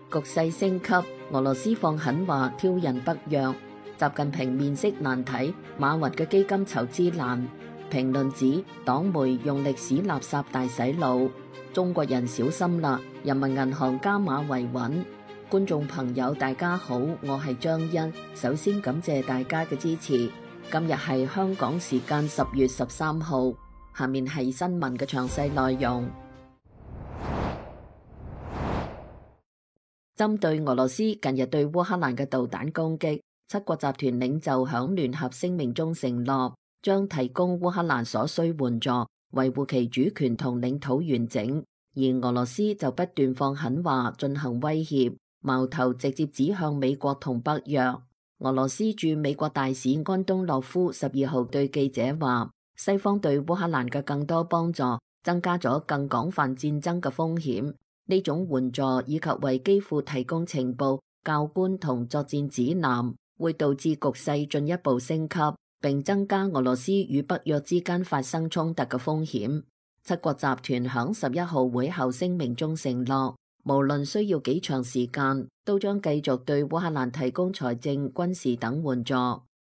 局勢升級，俄羅斯放狠話挑釁北約。習近平面色難睇，馬雲嘅基金籌資難。評論指黨媒用歷史垃圾大洗腦，中國人小心啦！人民銀行加碼維穩。觀眾朋友大家好，我係張欣，首先感謝大家嘅支持。今日係香港時間10月13號，下面係新聞嘅詳細內容。針對俄羅斯近日對烏克蘭嘅導彈攻擊，七國集團領袖響聯合聲明中承諾，將提供烏克蘭所需援助，維護其主權同領土完整。而俄羅斯就不斷放狠話進行威脅，矛頭直接指向美國同北約。俄羅斯駐美國大使安東諾夫12號對記者話，西方對烏克蘭嘅更多幫助，增加咗更廣泛戰爭嘅風險。呢種援助以及為基輔提供情報、教官同作戰指南，會導致局勢進一步升級，並增加俄羅斯與北約之間發生衝突嘅風險。七國集團響11號會後聲明中承諾，無論需要幾長時間，都將繼續對烏克蘭提供財政、軍事等援助。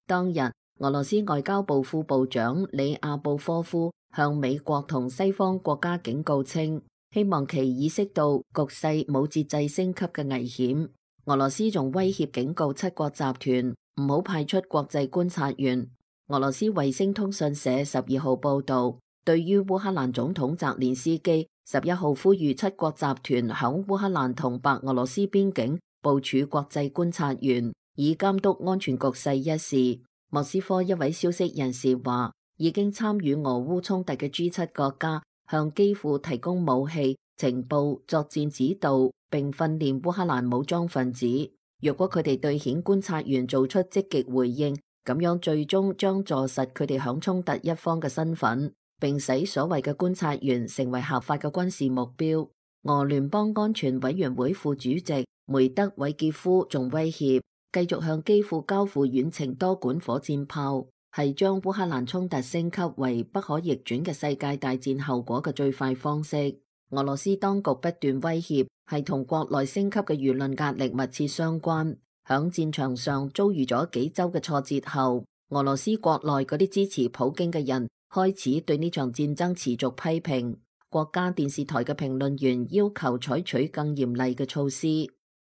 當日，俄羅斯外交部副部長里亞布科夫向美國同西方國家警告稱，希望其意識到局勢冇節制升級嘅危險。俄羅斯仲威脅警告七國集團唔好派出國際觀察員。俄羅斯衛星通訊社12號報道，對於烏克蘭總統澤連斯基11號呼籲七國集團響烏克蘭同白俄羅斯邊境部署國際觀察員，以監督安全局勢一事，莫斯科一位消息人士話，已經參與俄烏衝突嘅 G7 國家向基輔提供武器、情報、作戰指導，並訓練烏克蘭武裝分子。若果佢哋對遣觀察員做出積極回應，咁樣最終將坐實佢哋響衝突一方嘅身份，並使所謂嘅觀察員成為合法嘅軍事目標。俄聯邦安全委員會副主席梅德韋傑夫仲威脅，繼續向基輔交付遠程多管火箭炮，係將烏克蘭衝突升級為不可逆轉嘅世界大戰後果嘅最快方式。俄羅斯當局不斷威脅，係同國內升級嘅輿論壓力密切相關。響戰場上遭遇咗幾周嘅挫折後，俄羅斯國內嗰啲支持普京嘅人開始對呢場戰爭持續批評。國家電視台嘅評論員要求採取更嚴厲嘅措施，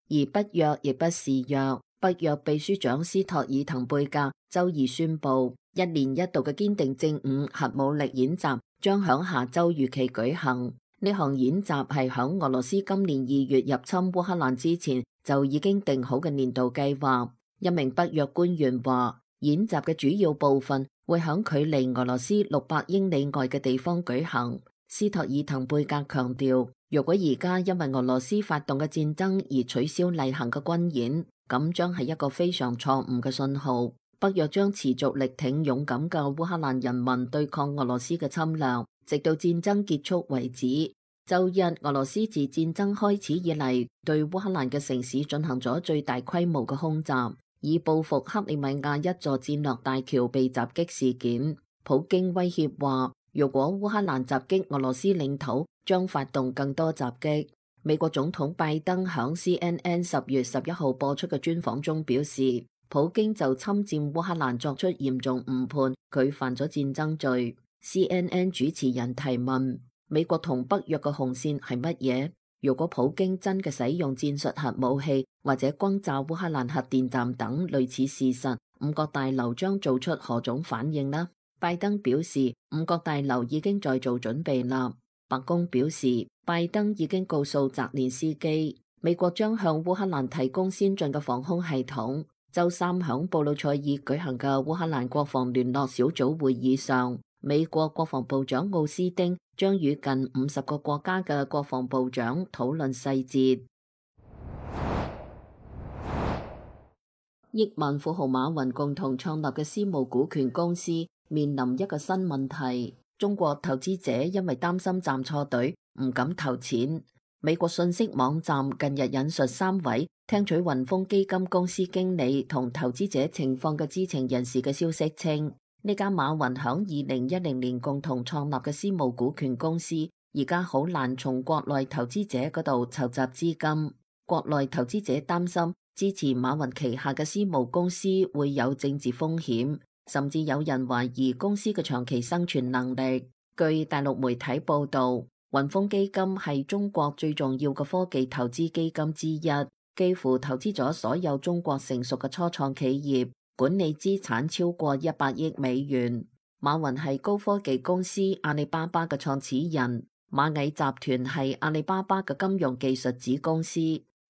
而北約亦不示弱。北約秘書長斯托爾滕貝格周二宣布，一年一度嘅堅定正午核武力演習將響下周如期舉行。呢項演習係響俄羅斯今年2月入侵烏克蘭之前就已經定好嘅年度計劃。一名北約官員話，演習嘅主要部分會響距離俄羅斯600英里外嘅地方舉行。斯托爾滕貝格強調，如果而家因為俄羅斯發動嘅戰爭而取消例行嘅軍演，咁將係一個非常錯誤嘅信號。北約將持續力挺勇敢嘅烏克蘭人民對抗俄羅斯嘅侵略，直到戰爭結束為止。周日，俄羅斯自戰爭開始以嚟，對烏克蘭嘅城市進行咗最大規模嘅空襲，以報復克里米亞一座戰略大橋被襲擊事件。普京威脅話，如果烏克蘭襲擊俄羅斯領土，將發動更多襲擊。美國總統拜登響 CNN 10月11號播出嘅專訪中表示，普京就侵佔烏克蘭作出嚴重誤判，佢犯咗戰爭罪。CNN 主持人提問，美國同北約嘅紅線係乜嘢？如果普京真嘅使用戰術核武器或者轟炸烏克蘭核電站等類似事實，五角大樓將做出何種反應呢？拜登表示，五角大樓已經在做準備啦。白宮表示，拜登已經告訴澤連斯基，美國將向烏克蘭提供先進嘅防空系統。周三響布魯塞爾舉行嘅烏克蘭國防聯絡小組會議上，美國國防部長奧斯汀將與近50個國家嘅國防部長討論細節。億萬富豪馬雲共同創立嘅私募股權公司面臨一個新問題，中國投資者因為擔心站錯隊，唔敢投錢。美國信息網站近日引述3位聽取雲峰基金公司經理同投資者情況嘅知情人士嘅消息稱，呢家馬雲響2010年共同創立嘅私募股權公司，而家好難從國內投資者嗰度籌集資金。國內投資者擔心支持馬雲旗下嘅私募公司會有政治風險，甚至有人懷疑公司嘅長期生存能力。據大陸媒體報道，雲峰基金係中國最重要嘅科技投資基金之一，幾乎投資咗所有中國成熟嘅初創企業，管理資產超過100億美元。馬雲係高科技公司阿里巴巴嘅創始人，螞蟻集團係阿里巴巴嘅金融技術子公司。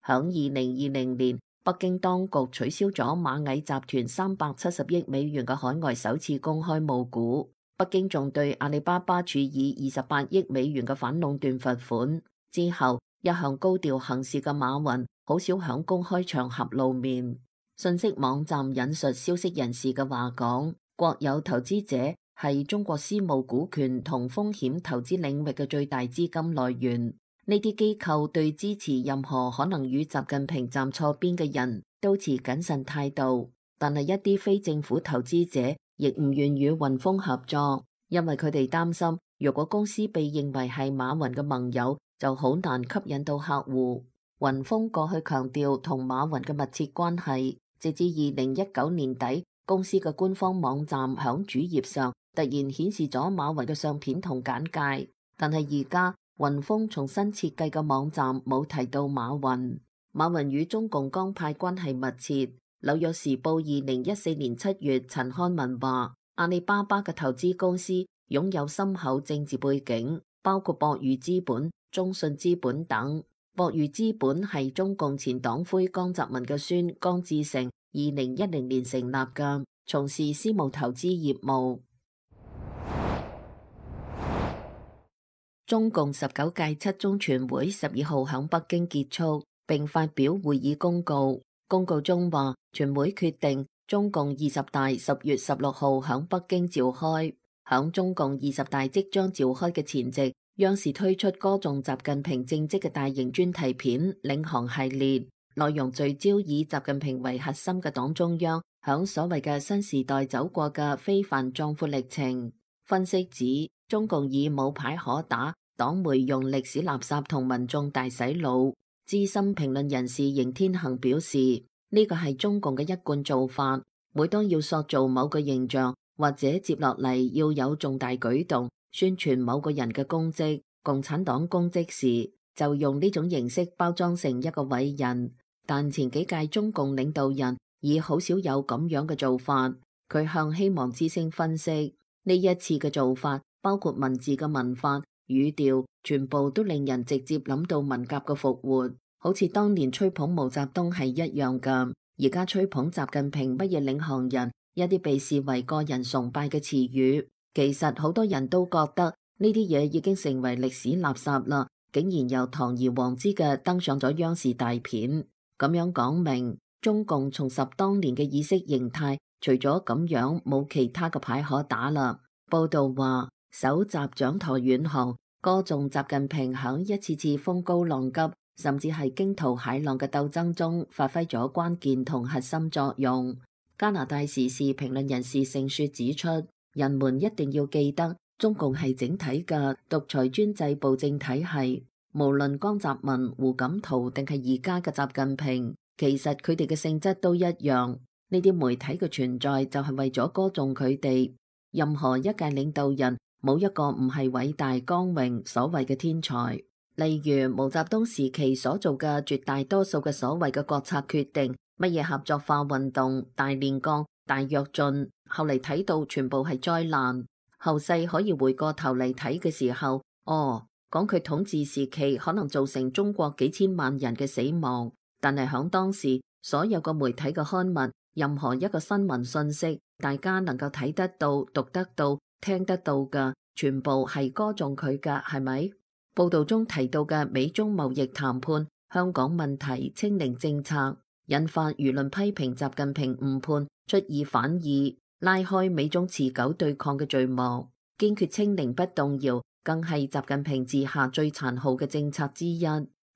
響2020年，北京當局取消咗螞蟻集團370億美元嘅海外首次公開募股。北京仲對阿里巴巴處以28億美元嘅反壟斷罰款。之後，一向高調行事嘅馬雲好少響公開場合露面。信息網站引述消息人士嘅話講，國有投資者係中國私募股權同風險投資領域嘅最大資金來源。呢啲機構對支持任何可能與習近平站錯邊嘅人都持謹慎態度，但係一啲非政府投資者亦唔願與雲峰合作，因為佢哋擔心，如果公司被認為係馬雲嘅盟友，就好難吸引到客戶。雲峰過去強調同馬雲嘅密切關係，直至2019年底，公司嘅官方網站響主頁上突然顯示咗馬雲嘅相片同簡介，但係而家雲峰重新設計嘅網站冇提到馬雲。馬雲與中共江派關係密切。紐約時報2014年7月陳刊文話，阿里巴巴嘅投資公司擁有深厚政治背景，包括博裕資本、中信資本等。博裕資本係中共前黨魁江澤民嘅孫江志成2010年成立嘅，從事私募投資業務。中共19屆七中全會12號響北京結束，並發表會議公告。公告中話，全會決定中共20大10月16號響北京召開。響中共20大即將召開嘅前夕，央視推出歌頌習近平政績嘅大型專題片《領航》系列，內容聚焦以習近平為核心嘅黨中央響所謂嘅新時代走過嘅非凡壯闊歷程。分析指，中共已冇牌可打，黨媒用歷史垃圾同民眾大洗腦。資深評論人士邢天行表示，呢個係中共嘅一貫做法，每當要塑造某個形象或者接落嚟要有重大舉動宣傳某個人嘅功績、共產黨功績時，就用呢種形式包裝成一個偉人。但前幾屆中共領導人已好少有咁樣嘅做法。佢向希望之聲分析，呢一次嘅做法包括文字嘅文法、語調，全部都令人直接諗到文革嘅復活，好似當年吹捧毛澤東係一樣㗎。而家吹捧習近平乜嘢領航人，一啲被視為個人崇拜嘅詞語，其實好多人都覺得呢啲嘢已經成為歷史垃圾啦，竟然又堂而皇之嘅登上咗央視大片，咁樣講明中共重拾當年嘅意識形態，除咗咁樣冇其他嘅牌可打啦。報道話，首集掌舵遠航，歌頌習近平響一次次風高浪急，甚至係驚濤駭浪嘅鬥爭中發揮咗關鍵同核心作用。加拿大時事評論人士盛雪指出，人們一定要記得，中共係整體嘅獨裁專制暴政體系，無論江澤民、胡錦濤定係而家嘅習近平，其實佢哋嘅性質都一樣。呢啲媒體嘅存在就係為咗歌頌佢哋。任何一屆領導人冇一個唔係偉大光榮所謂嘅天才。例如毛澤東時期所做嘅絕大多數嘅所謂嘅國策決定，乜嘢合作化運動、大煉鋼、大躍進，後嚟睇到全部係災難。後世可以回過頭嚟睇嘅時候，講佢統治時期可能造成中國幾千萬人嘅死亡，但係響當時所有個媒體嘅刊物，任何一個新聞信息，大家能夠睇得到、讀得到、聽得到嘅，全部係歌頌佢㗎，係咪？報道中提到嘅美中貿易談判、香港問題、清零政策，引發輿論批評習近平誤判、出爾反爾，拉開美中持久對抗嘅序幕。堅決清零不動搖，更係習近平治下最殘酷嘅政策之一。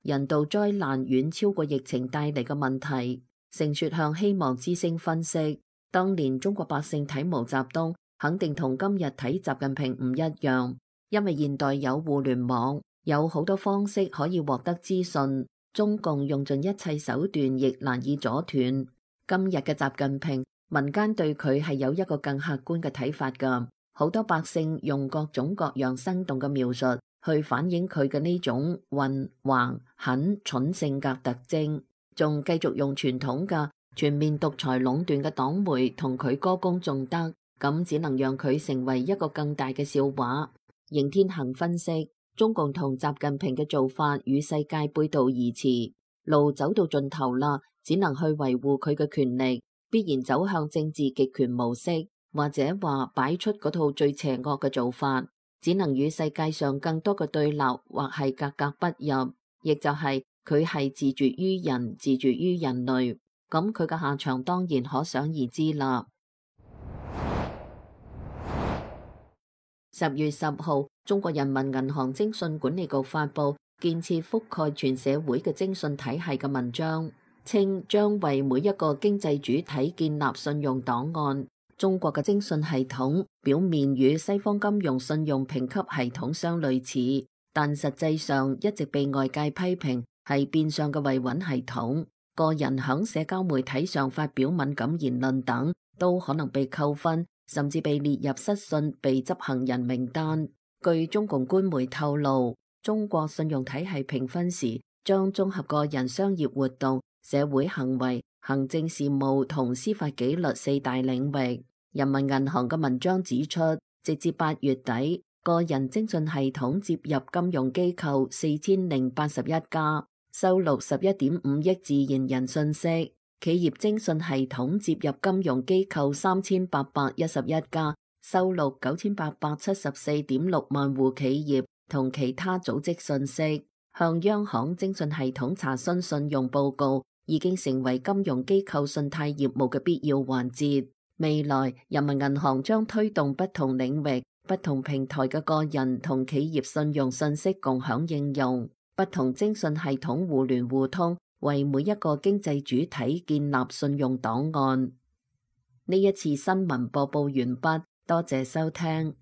人道災難遠超過疫情帶嚟嘅問題。盛雪向希望之聲分析，當年中國百姓睇毛澤東，肯定同今日睇習近平唔一樣，因為現代有互聯網，有好多方式可以獲得資訊。中共用盡一切手段亦難以阻斷。今日嘅習近平，民間對佢係有一個更客觀嘅睇法㗎。好多百姓用各種各樣生動嘅描述去反映佢嘅呢種混、橫、狠、蠢性格特徵，仲繼續用傳統嘅全面獨裁壟斷嘅黨媒同佢歌功頌德，咁只能讓佢成為一個更大嘅笑話。邢天行分析，中共同習近平嘅做法與世界背道而馳，路走到盡頭啦，只能去維護佢嘅權力，必然走向政治極權模式。或者話擺出嗰套最邪惡嘅做法，只能與世界上更多嘅對立，或係格格不入，亦就係佢係自絕於人，自絕於人類。咁佢嘅下場當然可想而知啦。10月10號，中國人民銀行徵信管理局發布建設覆蓋全社會嘅徵信體系嘅文章，稱將為每一個經濟主體建立信用檔案。中國嘅徵信系統表面與西方金融信用評級系統相類似，但實際上一直被外界批評係變相嘅維穩系統。個人響社交媒體上發表敏感言論等，都可能被扣分，甚至被列入失信被執行人名單。據中共官媒透露，中國信用體系評分時將綜合個人商業活動、社會行為、行政事務同司法紀律4大領域。人民銀行嘅文章指出，直至8月底，個人徵信系統接入金融機構4081家，收錄11.5億自然人信息；企業徵信系統接入金融機構3811家，收錄9874.6萬戶企業同其他組織信息。向央行徵信系統查詢信用報告已經成為金融機構信貸業務嘅必要環節。未來，人民銀行將推動不同領域、不同平台嘅個人同企業信用信息共享應用，不同徵信系統互聯互通，為每一個經濟主體建立信用檔案。呢一次新聞播報完畢，多謝收聽。